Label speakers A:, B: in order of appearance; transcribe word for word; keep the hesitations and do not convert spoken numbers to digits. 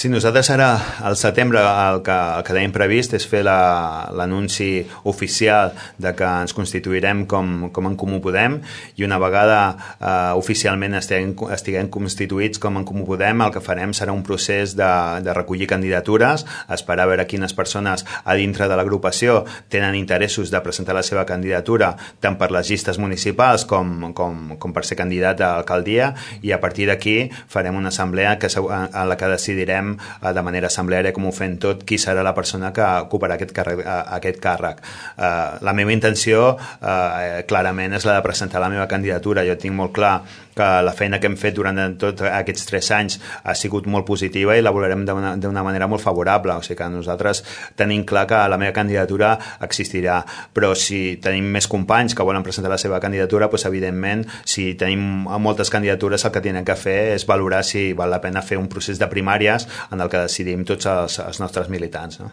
A: Sí, nosaltres ara, al setembre, el que, el que tenim previst és fer l'anunci la, oficial de que ens constituirem com, com en Comú Podem, i una vegada eh, oficialment estiguem, estiguem constituïts com en Comú Podem, el que farem serà un procés de, de recollir candidatures, esperar a veure quines persones a dintre de l'agrupació tenen interessos de presentar la seva candidatura, tant per les llistes municipals com, com, com per ser candidat a l'alcaldia, i a partir d'aquí farem una assemblea que, en la que decidirem de manera assembleària, com ho fem tot, qui serà la persona que ocuparà aquest càrrec. Aquest càrrec. La meva intenció clarament és la de presentar la meva candidatura. Jo tinc molt clar que la feina que hem fet durant tots aquests tres anys ha sigut molt positiva i la valorem d'una manera molt favorable, o sigui que nosaltres tenim clar que la meva candidatura existirà, però si tenim més companys que volen presentar la seva candidatura, doncs evidentment, si tenim moltes candidatures, el que tenen que fer és valorar si val la pena fer un procés de primàries en el que decidim tots els, els nostres militants, no?